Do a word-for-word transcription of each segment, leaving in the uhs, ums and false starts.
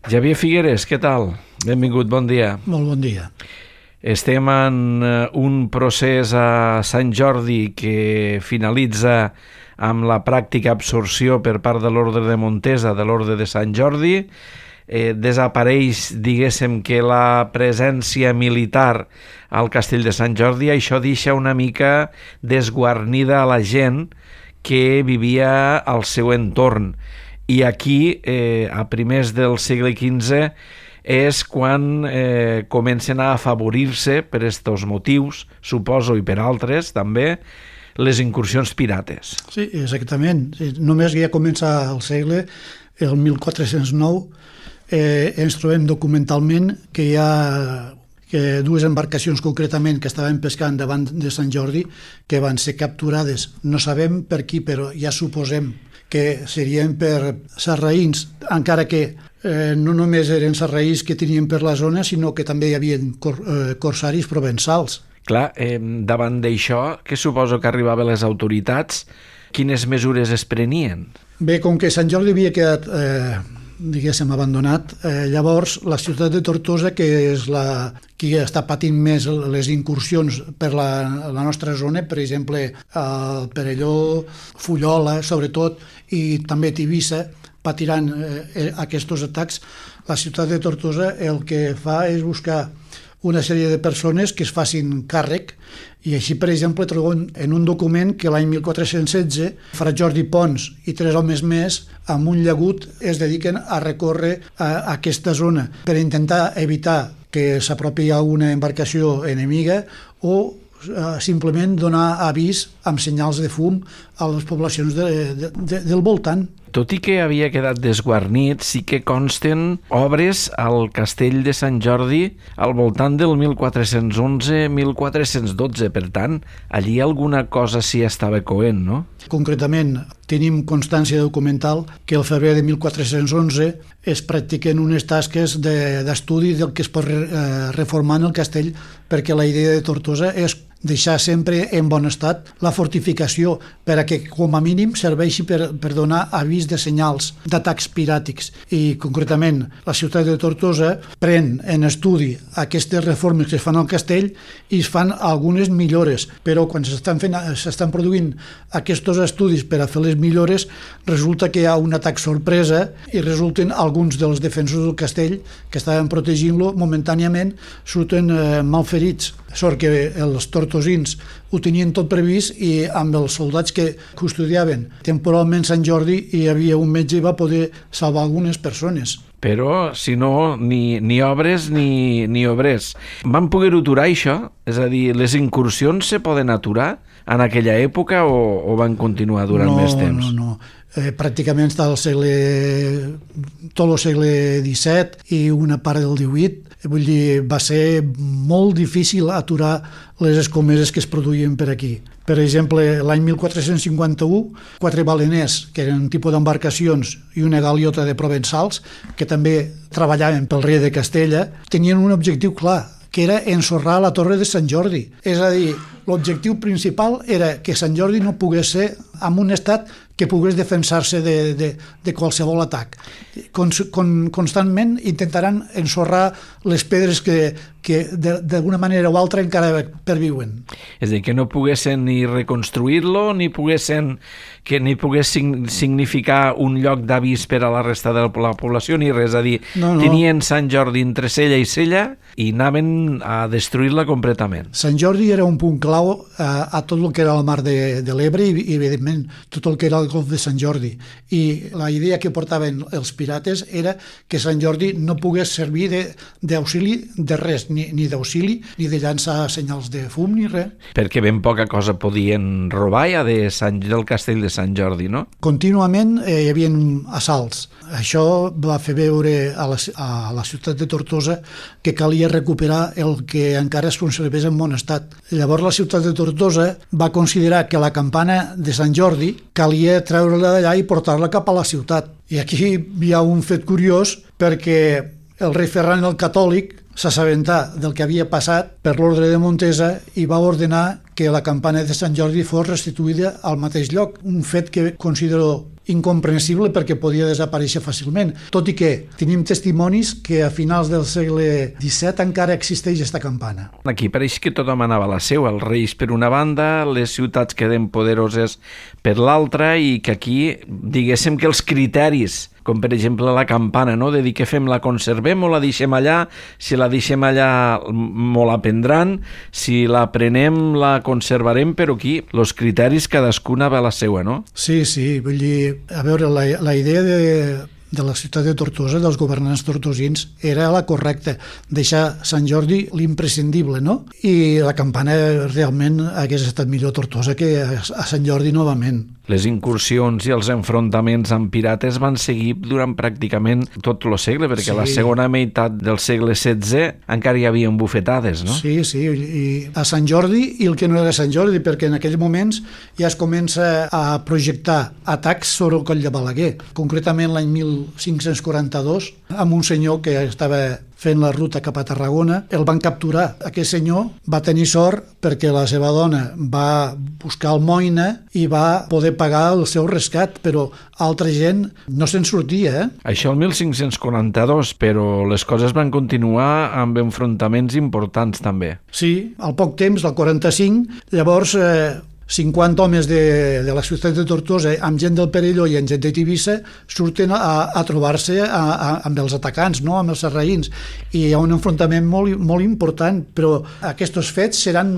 Javier Figueres, què tal? Benvingut, bon dia. Molt bon dia. Estem en un procés a Sant Jordi que finalitza amb la pràctica absorció per part de l'Orde de Montesa de l'Orde de Sant Jordi. Eh, desapareix, diguéssim, que la presència militar al Castell de Sant Jordi. Això deixa una mica desguarnida a la gent que vivia al seu entorn. I aquí, eh, a primers del segle quinze, és quan eh, comencen a afavorir-se per aquests motius, suposo, i per altres també, les incursions pirates. Sí, exactament. Només ja comença el segle, el mil quatre-cents nou, eh, ens trobem documentalment que hi ha que dues embarcacions concretament que estaven pescant davant de Sant Jordi que van ser capturades. No sabem per qui, però ja suposem que serien per sarraïns, encara que eh, no només eren sarraïns que tenien per la zona, sinó que també hi havia cor, eh, corsaris provençals. Clar, eh, davant d'això, què suposo que arribaven les autoritats? Quines mesures es prenien? Bé, com que Sant Jordi havia quedat, eh, diguéssim, abandonat, eh, llavors la ciutat de Tortosa, que és la qui està patint més les incursions per la, la nostra zona, per exemple, el Perelló, Fullola, sobretot, i també Tivissa, patiran eh, aquests atacs. La ciutat de Tortosa el que fa és buscar una sèrie de persones que es facin càrrec, i així, per exemple, trobem en un document que l'any mil quatre-cents setze Fra Jordi Pons i tres homes més amb un llagut es dediquen a recórrer a aquesta zona per intentar evitar que s'apropi a una embarcació enemiga o eh, simplement donar avís amb senyals de fum a les poblacions de, de, de, del voltant. Tot i que havia quedat desguarnit, sí que consten obres al Castell de Sant Jordi al voltant del mil quatre-cents onze mil quatre-cents dotze. Per tant, allí alguna cosa s'hi estava coent, no? Concretament, tenim constància documental que el febrer de mil quatre-cents onze es practiquen unes tasques de, d'estudi del que es pot eh, reformar en el castell, perquè la idea de Tortosa és deixar sempre en bon estat la fortificació per a que, com a mínim, serveixi per, per donar avís de senyals d'atacs piràtics. I, concretament, la ciutat de Tortosa pren en estudi aquestes reformes que es fan al castell i es fan algunes millores, però quan s'estan fent, s'estan produint aquests estudis per a fer les millores, resulta que hi ha un atac sorpresa i resulten alguns dels defensors del castell que estaven protegint-lo momentàniament surten eh, malferits. Sort que els tortosins ho tenien tot previst i amb els soldats que custodiaven temporalment Sant Jordi hi havia un metge i va poder salvar algunes persones. Però, si no, ni, ni obres ni, ni obrers. Van poder aturar això? És a dir, les incursions se poden aturar en aquella època o, o van continuar durant no, més temps? No, no, no. Eh, pràcticament està el segle, tot el segle disset i una part del divuit. Vull dir, va ser molt difícil aturar les escomeses que es produïen per aquí. Per exemple, l'any mil quatre-cents cinquanta-u, quatre baleners, que eren un tipus d'embarcacions, i una galiota de provençals, que també treballaven pel rei de Castella, tenien un objectiu clar, que era ensorrar la torre de Sant Jordi. És a dir, l'objectiu principal era que Sant Jordi no pogués ser en un estat que pogués defensar-se de, de, de qualsevol atac. Con, con, constantment intentaran ensorrar les pedres que, que d'alguna manera o altra encara perviuen. És a dir, que no poguessin ni reconstruir-lo, ni poguessin que ni pogués significar un lloc d'avís per a la resta de la població, ni res. A dir, no, no. Tenien Sant Jordi entre cella i cella i anaven a destruir-la completament. Sant Jordi era un punt clau a, a tot el que era el mar de, de l'Ebre i, i, evidentment, tot el que era el golf de Sant Jordi. I la idea que portaven els pirates era que Sant Jordi no pogués servir d'auxili de, de res, ni, ni d'auxili, ni de llançar senyals de fum, ni res. Perquè ben poca cosa podien robar ja de Sant, del castell de Sant Jordi, no? Contínuament eh, hi havia assalts. Això va fer veure a la, a la ciutat de Tortosa que calia recuperar el que encara es conservés en bon estat. Llavors la ciutat de Tortosa va considerar que la campana de Sant Jordi calia treure-la d'allà i portar-la cap a la ciutat. I aquí hi ha un fet curiós perquè el rei Ferran el Catòlic s'assabentà del que havia passat per l'ordre de Montesa i va ordenar que la campana de Sant Jordi fos restituïda al mateix lloc, un fet que considero incomprensible perquè podia desaparèixer fàcilment, tot i que tenim testimonis que a finals del segle disset encara existeix aquesta campana. Aquí pareix que tothom anava a la seva, els reis per una banda, les ciutats queden poderoses per l'altra, i que aquí, diguéssim que els criteris, com per exemple la campana, no? De dir què fem, la conservem o la deixem allà, si la deixem allà mo la prendran, si la prenem la conservarem, però aquí els criteris cadascuna va a la seva, no? Sí, sí, vull dir, a veure, la, la idea de, de la ciutat de Tortosa, dels governants tortosins, era la correcta, deixar Sant Jordi l'imprescindible, no? I la campana realment hagués estat millor a Tortosa que a, a Sant Jordi novament. Les incursions i els enfrontaments amb pirates van seguir durant pràcticament tot el segle, perquè sí. A la segona meitat del segle setze encara hi havia bufetades, no? Sí, sí, i a Sant Jordi i el que no era Sant Jordi, perquè en aquells moments ja es comença a projectar atacs sobre el Coll de Balaguer. Concretament l'any mil cinc-cents quaranta-dos, amb un senyor que estava fent la ruta cap a Tarragona, el van capturar. Aquest senyor va tenir sort perquè la seva dona va buscar almoina i va poder pagar el seu rescat, però altra gent no se'n sortia, eh? Això el mil cinc-cents quaranta-dos, però les coses van continuar amb enfrontaments importants també. Sí, al poc temps, al quaranta-cinc, llavors eh, cinquanta homes de, de la ciutat de Tortosa amb gent del Perelló i amb gent de Tivissa surten a, a trobar-se a, a, amb els atacants, no? Amb els sarraïns, i hi ha un enfrontament molt, molt important, però aquests fets seran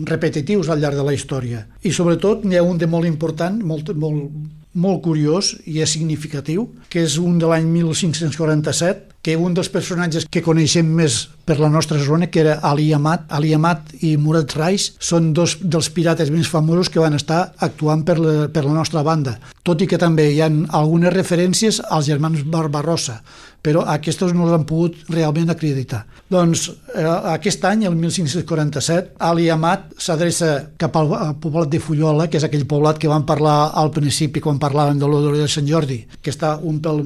repetitius al llarg de la història, i sobretot n'hi ha un de molt important, molt, molt, molt curiós i és significatiu, que és un de l'any mil cinc-cents quaranta-set, que un dels personatges que coneixem més per la nostra zona, que era Ali Amat. Ali Amat i Murat Rais són dos dels pirates més famosos que van estar actuant per la, per la nostra banda, tot i que també hi ha algunes referències als germans Barbarossa, però aquests no l'han pogut realment acreditar. Doncs eh, aquest any, el mil cinc-cents quaranta-set, Ali Amat s'adreça cap al, al poblat de Fullola, que és aquell poblat que vam parlar al principi quan parlàvem de l'Odor de Sant Jordi, que està un pel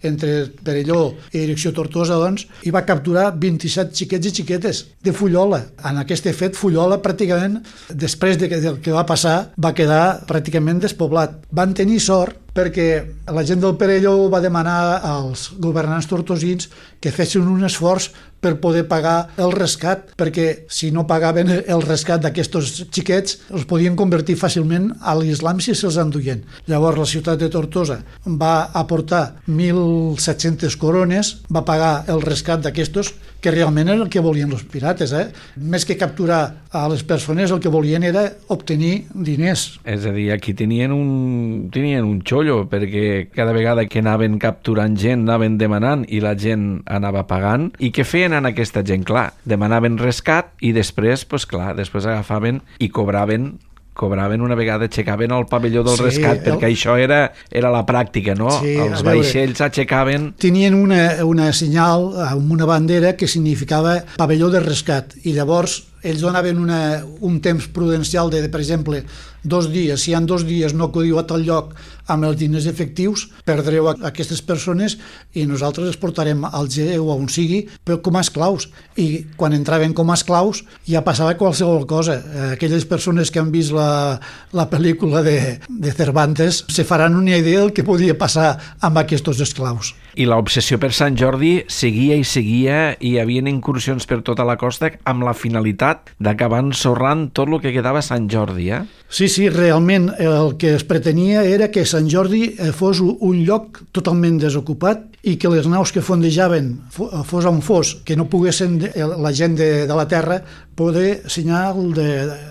entre Perelló i direcció Tortosa, doncs, i va capturar vint-i-set xiquets i xiquetes de Fullola. En aquest fet, Fullola pràcticament, després de que, del que va passar, va quedar pràcticament despoblat. Van tenir sort perquè la gent del Perelló va demanar als governants tortosins que fessin un esforç per poder pagar el rescat, perquè si no pagaven el rescat d'aquests xiquets els podien convertir fàcilment a l'islam si se'ls enduien. Llavors la ciutat de Tortosa va aportar mil set-centes corones, va pagar el rescat d'aquests, que realment era el que volien els pirates, eh? Més que capturar a les persones, el que volien era obtenir diners. És a dir, aquí tenien un, tenien un xollo, perquè cada vegada que anaven capturant gent, anaven demanant i la gent anava pagant. I què feien en aquesta gent? Clar, demanaven rescat i després, pues clar, després agafaven i cobraven cobraven una vegada, aixecaven el pavelló del sí, rescat, perquè el... això era, era la pràctica, no? Sí, els vaixells aixecaven... Tenien una, una senyal amb una bandera que significava pavelló de rescat, i llavors ells donaven una, un temps prudencial de, per exemple, dos dies. Si en dos dies no acudiu a tal lloc amb els diners efectius, perdreu a aquestes persones i nosaltres els portarem al G o a on sigui, però com a esclaus. I quan entraven com a esclaus ja passava qualsevol cosa. Aquelles persones que han vist la, la pel·lícula de, de Cervantes se faran una idea del que podia passar amb aquests esclaus. I l'obsessió per Sant Jordi seguia i seguia, i hi havia incursions per tota la costa amb la finalitat d'acabar ensorrant tot el que quedava a Sant Jordi, eh? Sí, sí, realment el que es pretenia era que Sant Jordi fos un lloc totalment desocupat i que les naus que fondejaven, fos on fos, que no poguessin la gent de, de la terra poder senyal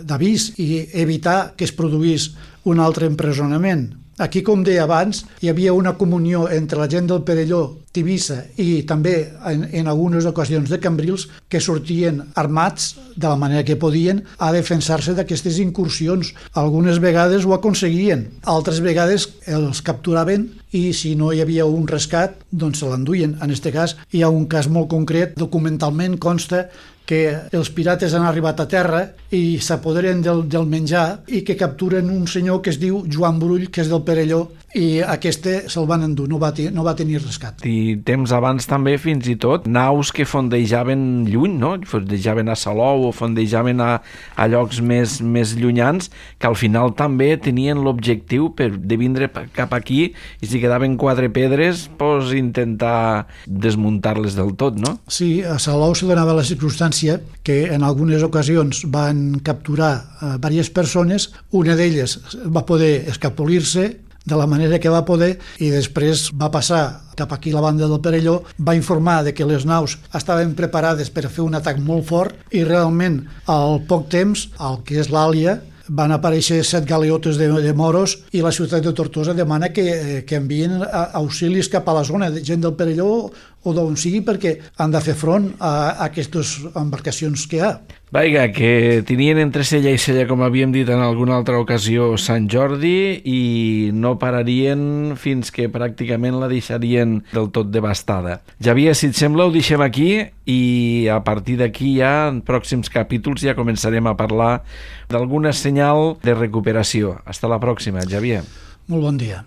d'avís i evitar que es produís un altre empresonament. Aquí, com deia abans, hi havia una comunió entre la gent del Perelló, Tivissa i també en, en algunes ocasions de Cambrils, que sortien armats de la manera que podien a defensar-se d'aquestes incursions. Algunes vegades ho aconseguien, altres vegades els capturaven i si no hi havia un rescat, doncs se l'enduien. En aquest cas hi ha un cas molt concret, documentalment consta que els pirates han arribat a terra i s'apoderen del, del menjar i que capturen un senyor que es diu Joan Brull, que és del Perelló, i aquest se'l van endur, no va, no va tenir rescat. I temps abans també, fins i tot, naus que fondejaven lluny, no? Fondejaven a Salou o fondejaven a, a llocs més, més llunyans, que al final també tenien l'objectiu per, de vindre cap aquí, i si quedaven quatre pedres, pues, intentar desmuntar-les del tot, no? Sí, a Salou se donava la circumstància que en algunes ocasions van capturar eh, diverses persones, una d'elles va poder escapolir-se de la manera que va poder, i després va passar cap aquí a la banda del Perelló, va informar de que les naus estaven preparades per fer un atac molt fort, i realment al poc temps, el que és l'Àlia, van aparèixer set galeotes de, de moros, i la ciutat de Tortosa demana que, que envien auxilis cap a la zona, de gent del Perelló o d'on sigui, perquè han de fer front a, a aquestes embarcacions que hi ha. Vaiga, que tenien entre cella i cella, com havíem dit en alguna altra ocasió, Sant Jordi, i no pararien fins que pràcticament la deixarien del tot devastada. Javier, si et sembla, ho deixem aquí, i a partir d'aquí ja, en pròxims capítols, ja començarem a parlar d'alguna senyal de recuperació. Hasta la pròxima, Javier. Molt bon dia.